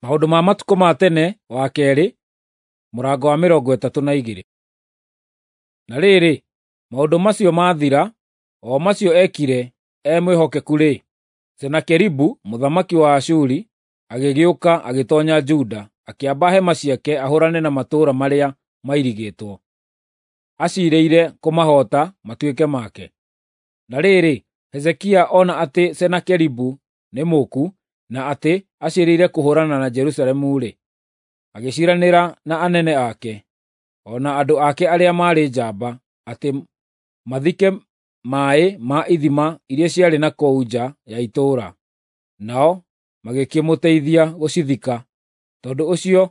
Maũndũ ma matukũ ma tene wa kerĩ, mũrango wa 32. Na rĩrĩ, maũndũ macio maathira, o macio eekire e mwĩhokeku-rĩ, Senakeribu mũthamaki wa Ashuri agĩgĩũka agĩtoonya Juda, akĩamba hema ciake ahũũrane na matũũra marĩa mairigĩtwo, aciirĩire kũmahoota matuĩke make. Na rĩrĩ, Hezekia ona atĩ Senakeribu nĩ mũũku na atĩ aciirĩire kũhũũrana na Jerusalemu-rĩ, agĩciiranĩra na anene ake, o na andũ ake arĩa maarĩ njamba, atĩ mathike maaĩ ma ithima iria ciarĩ na kũu nja ya itũũra, nao magĩkĩmũteithia gũcithika. Tondũ ũcio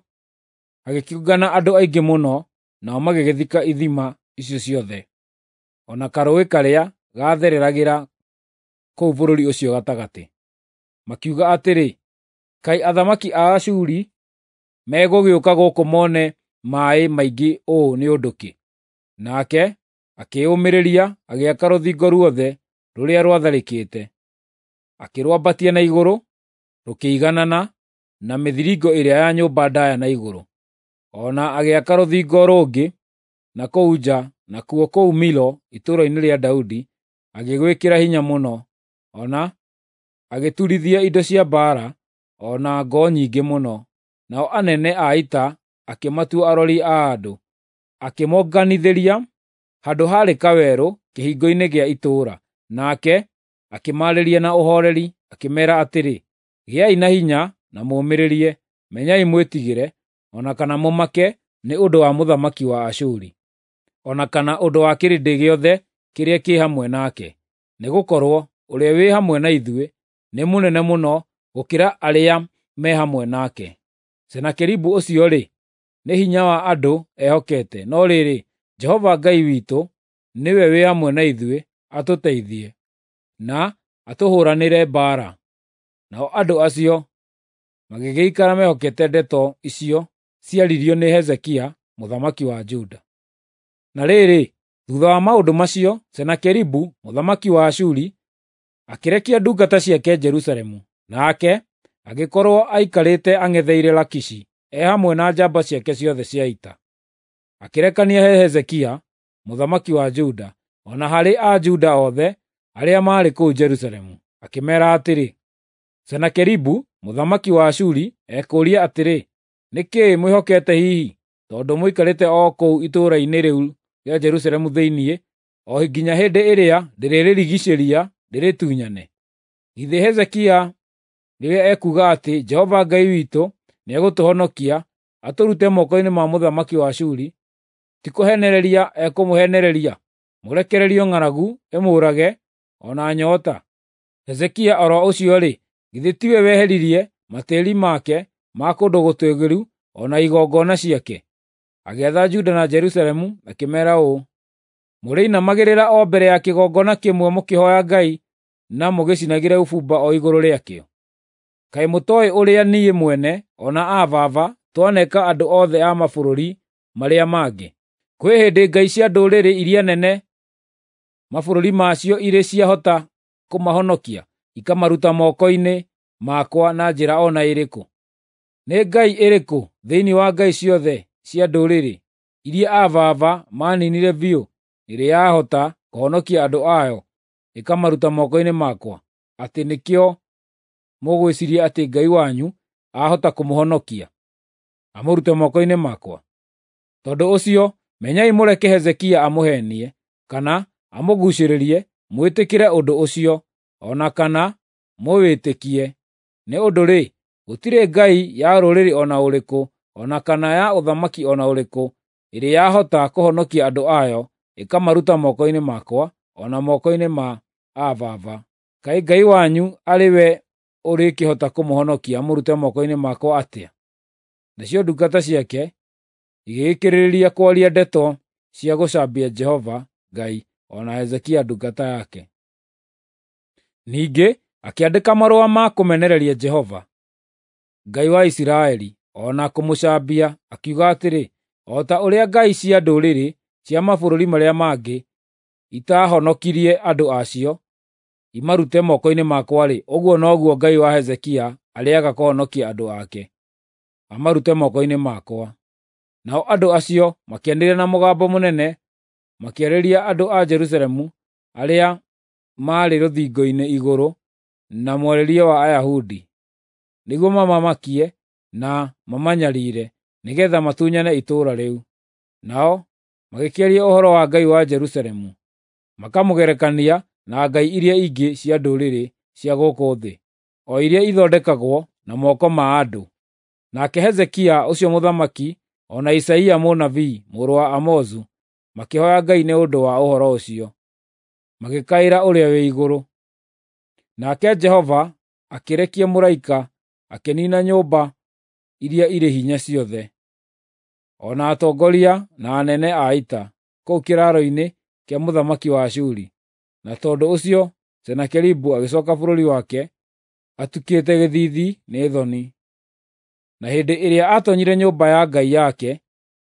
hagĩkĩũngana andũ aingĩ mũno, nao magĩgĩthika ithima icio ciothe, o na karũũĩ karĩa gaathereragĩra kũu bũrũri ũcio gatagatĩ. Makiuga atĩrĩ, “Kaĩ athamaki a Ashuri megũgĩũka gũkũ mone maaĩ maingĩ ũũ nĩ ũndũ kĩ?” Nake akĩĩyũmĩrĩria agĩaka rũthingo ruothe rũrĩa rwatharĩkĩte, akĩrwambatia na igũrũ rũkĩiganana na mĩthiringo ĩrĩa ya nyũmba ndaaya na igũrũ. O na agĩaka rũthingo rũngĩ na kũu nja, nakuo kũu Milo itũũra-inĩ rĩa Daudi agĩgwĩkĩra hinya mũno, o na agĩturithia indo cia mbaara o na ngo nyingĩ mũno. Nao anene a ita akĩmatua arori a andũ, akĩmonganithĩria handũ haarĩ kawerũ kĩhingo-inĩ gĩa itũũra. Nake akĩmaarĩria na ũhooreri, akĩmeera atĩrĩ, “Gĩai na hinya na mũũmĩrĩrie. Menyai mwĩtigĩre, o na kana mũmake nĩ ũndũ wa mũthamaki wa Ashuri, o na kana ũndũ wa kĩrĩndĩ gĩothe kĩrĩa kĩ hamwe nake. Nĩgũkorwo ũrĩa wĩ hamwe na ithuĩ nĩ mũnene mũno gũkĩra arĩa me hamwe nake. Senakeribu ũcio-rĩ, nĩ hinya wa andũ ehokete, no rĩrĩ, Jehova Ngai witũ nĩwe wĩ hamwe na ithuĩ atũteithie, na atũhũũranĩre mbaara.” Nao andũ acio magĩgĩikara mehokete ndeto icio ciaririo nĩ Hezekia mũthamaki wa Juda. Na rĩrĩ, thuutha wa maũndũ macio, Senakeribu mũthamaki wa Ashuri akĩrekia ndungata ciake Jerusalemu, nake agĩkorwo aikarĩte ang'etheire Lakishi e hamwe na njamba ciake ciothe cia ita. Akĩrekania he Hezekia mũthamaki wa Juda, o na harĩ Ajuda othe arĩa maarĩ kũu Jerusalemu, akĩmeera atĩrĩ, “Senakeribu mũthamaki wa Ashuri ekũũria atĩrĩ, nĩ kĩĩ mwĩhokete hihi, tondũ mũikarĩte o kũu itũũra-inĩ rĩu rĩa Jerusalemu thĩinĩ, o nginya hĩndĩ ĩrĩa ndĩrĩrĩrigiicĩria ndĩrĩtunyane? Githĩ Hezekia rĩrĩa ekuuga atĩ, ‘Jehova Ngai witũ nĩegũtũhonokia atũrute moko-inĩ ma mũthamaki wa Ashuri,’ ti kũheenereria ekũmũheenereria mũrekererio ng'aragu ĩmũũrage o na nyoota? Hezekia o ro ũcio-rĩ, githĩ tiwe weheririe matĩĩri make ma kũndũ gũtũũgĩru o na igongona ciake? Agĩatha Juda na Jerusalemu akĩmeera ũũ: ‘Mũrĩinamagĩrĩra o mbere ya kĩgongona kĩmwe mũkĩhooya Ngai na mũgĩcinagĩre ũbumba o igũrũ rĩakĩo. Kaĩ mũtooĩ ũrĩa niĩ mwene o na aa baba twaneka andũ othe a mabũrũri marĩa mangĩ? Kwĩ hĩndĩ ngai cia ndũrĩrĩ iria nene mabũrũri macio irĩ ciahota kũmahonokia, ikamaruta moko-inĩ makwa na njĩra o na ĩrĩkũ? Nĩ ngai ĩrĩkũ thĩinĩ wa ngai ciothe cia ndũrĩrĩ iria aa baba maaniinire biũ ĩrĩ yahota kũhonokia andũ ayo ĩkamaruta moko-inĩ makwa, atĩ nĩkĩo mũgwĩciiria atĩ Ngai wanyu ahota kũmũhonokia, amũrute moko-inĩ makwa? Tondũ ũcio menyai mũreke Hezekia amũheenie, kana amũguucĩrĩrie mwĩtĩkĩre ũndũ ũcio, o na kana mũwĩtĩkie. Nĩ ũndũ-rĩ, gũtirĩ ngai ya rũrĩrĩ o na ũrĩkũ, o na kana ya ũthamaki o na ũrĩkũ ĩrĩ yahota kũhonokia andũ ayo ĩkamaruta moko-inĩ makwa, o na moko-inĩ ma aa baba. Kaĩ Ngai wanyu arĩ we ũrĩkĩhota kũmũhonokia amũrute moko-inĩ makwa atĩa?” Nacio ndungata ciake igĩgĩkĩrĩrĩria kwaria ndeto cia gũcambia Jehova Ngai o na Hezekia ndungata yake. Ningĩ akĩandĩka marũa ma kũmenereria Jehova, Ngai wa Isiraeli, o na kũmũcambia, akiuga atĩrĩ, “O ta ũrĩa ngai cia ndũrĩrĩ cia mabũrũri marĩa mangĩ itaahonokirie andũ a cio imarute moko-inĩ makwa-rĩ, ũguo noguo Ngai wa Hezekia arĩaga kũhonokia andũ ake.” amarute moko-inĩ makwa. Nao andũ acio makĩanĩrĩra na mũgambo mũnene makĩarĩria andũ a Jerusalemu arĩa maarĩ rũthingo-inĩ igũrũ na mwarĩrie wa Ayahudi, nĩguo mamamakie na mamanyariire, nĩgeetha matunyane itũũra rĩu. Nao magĩkĩaria ũhoro wa Ngai wa Jerusalemu, makamũgerekania na ngai iria ingĩ cia ndũrĩrĩ cia gũkũ thĩ, o iria ithondekagwo na moko ma andũ. Nake Hezekia ũcio mũthamaki o na Isaia mũnabii mũrũ wa Amozu makĩhooya Ngai nĩ ũndũ wa ũhoro ũcio, magĩkaĩra Ũrĩa-wĩ-Igũrũ. Nake Jehova akĩrekia mũraika akĩniina nyũmba iria irĩ hinya ciothe, o na atongoria na anene a ita, kũu kĩraaro-inĩ kĩa mũthamaki wa Ashuri. Na tondũ ũcio Senakeribu agĩcooka bũrũri wake atukĩte gĩthiithi nĩ thoni. Na hĩndĩ ĩrĩa aatoonyire nyũmba ya ngai yake,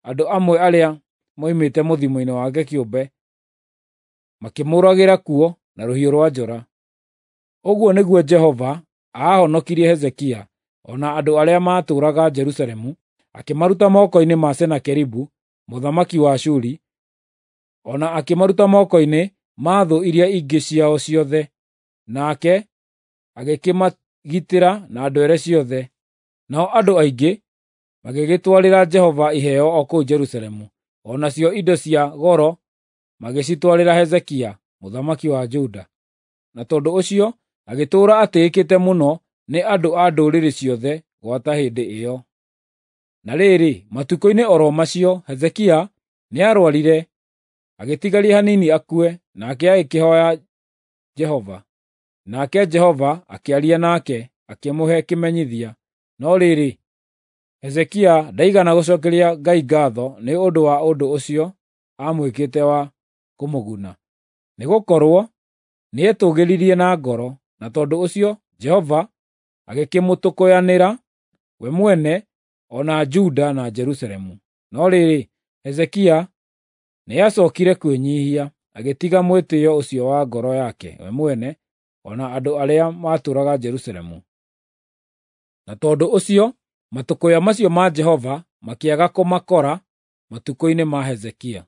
andũ amwe arĩa moimĩte mũthimo-inĩ wake kĩũmbe makĩmũũragĩra kuo na rũhiũ rwa njora. Ũguo nĩguo Jehova aahonokirie Hezekia o na andũ arĩa maatũũraga Jerusalemu, akĩmaruta moko-inĩ ma Senakeribu mũthamaki wa Ashuri, o na akĩmaruta moko-inĩ ma thũ iria ingĩ ciao ciothe. Nake agĩkĩmagitĩra na ndwere ciothe. Nao andũ aingĩ magĩgĩtwarĩra Jehova iheo o kũu Jerusalemu, o nacio indo cia goro magĩcitwarĩra Hezekia mũthamaki wa Juda. Na tondũ ũcio agĩtũũra atĩĩkĩte mũno nĩ andũ a ndũrĩrĩ ciothe gwata hĩndĩ ĩyo. Na rĩrĩ, matukũ-inĩ o ro macio Hezekia nĩarũarire, agĩtigaria hanini akue, nake agĩkĩhooya Jehova. Nake Jehova akĩaria nake, akĩmũhe kĩmenyithia. No rĩrĩ, Hezekia ndaigana gũcookeria Ngai ngaatho nĩ ũndũ wa ũndũ ũcio aamwĩkĩte wa kũmũguna, nĩgũkorwo nĩetũũgĩririe na ngoro, na tondũ ũcio Jehova agĩkĩmũtũkũyanĩra we mwene o na Juda na Jerusalemu. No rĩrĩ, Hezekia nĩacookire kwĩnyiihia, agĩtiga mwĩtĩĩo ũcio wa ngoro yake we mwene o na andũ arĩa maatũũraga Jerusalemu. Na tondũ ũcio matũkũya macio ma Jehova makĩaga kũmakora matukũ-inĩ ma Hezekia.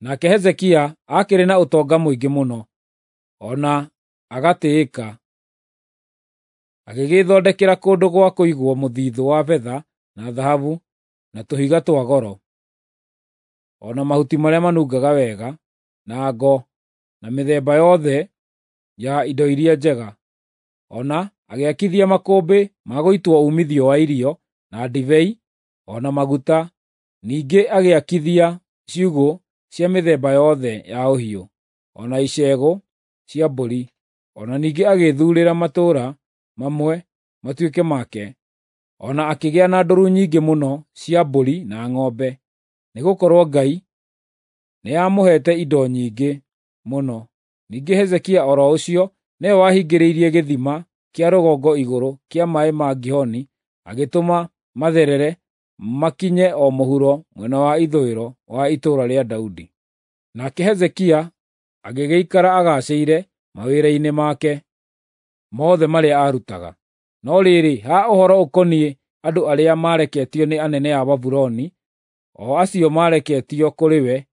Nake Hezekia aakĩrĩ na ũtonga mũingĩ mũno, o na agatĩĩka. Agĩgĩĩthondekera kũndũ gwa kũigwo mũthithũ wa betha na thahabu na tũhiga twa goro, o na mahuti marĩa manungaga wega, na ngo, na mĩthemba yothe ya indo iria njega. O na agĩakithia makũmbĩ ma gũitwo uumithio wa irio, na ndibei, o na maguta. Ningĩ agĩakithia ciugũ cia mĩthemba yothe ya ũhiũ, o na icegũ cia mbũri. O na ningĩ agĩĩthuurĩra matũũra mamwe matuĩke make, o na akĩgĩa na ndũru nyingĩ mũno cia mbũri na ng'ombe, nĩgũkorwo Ngai nĩamũheete indo nyingĩ mũno. Ningĩ Hezekia o ro ũcio nĩwe wahingĩrĩirie gĩthima kĩa rũgongo igũrũ kĩa maaĩ ma Gihoni, agĩtũma matherere makinye o mũhuro mwena wa ithũĩro wa itũũra rĩa Daudi. Nake Hezekia agĩgĩikara agaacĩire mawĩra-inĩ make mothe marĩa aarutaga. No rĩrĩ, ha ũhoro ũkoniĩ andũ arĩa maareketio nĩ anene a Babuloni, o acio maareketio kũrĩ we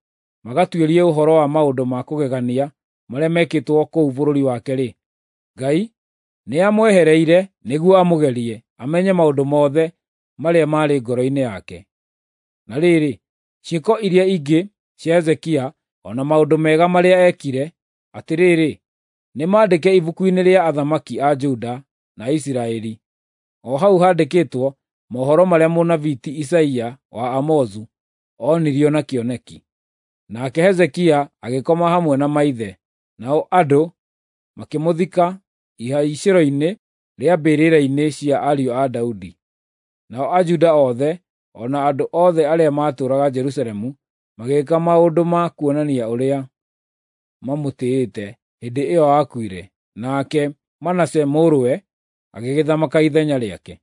magatuĩrie ũhoro wa maũndũ ma kũgegania marĩa mekĩtwo kũu bũrũri wake-rĩ, Ngai nĩamwehereire nĩguo amũgerie, amenye maũndũ mothe marĩa maarĩ ngoro-inĩ yake. Na rĩrĩ, ciĩko iria ingĩ cia Hezekia, o na maũndũ mega marĩa eekire, atĩrĩrĩ, nĩmandĩke ibuku-inĩ rĩa athamaki a Juda na Isiraeli, o hau handĩkĩtwo mohoro marĩa mũnabii ti Isaia wa Amozu onirio na kĩoneki. Nake Hezekia agĩkoma hamwe na maithe, nao andũ makĩmũthika ihaicĩro-inĩ rĩa mbĩrĩra-inĩ cia ariũ a Daudi. Nao Ajuda othe o na andũ othe arĩa maatũũraga Jerusalemu magĩĩka maũndũ ma kuonania ũrĩa mamũtĩĩte hĩndĩ ĩyo aakuire. Nake Manase mũrũwe agĩgĩthamaka ithenya rĩake.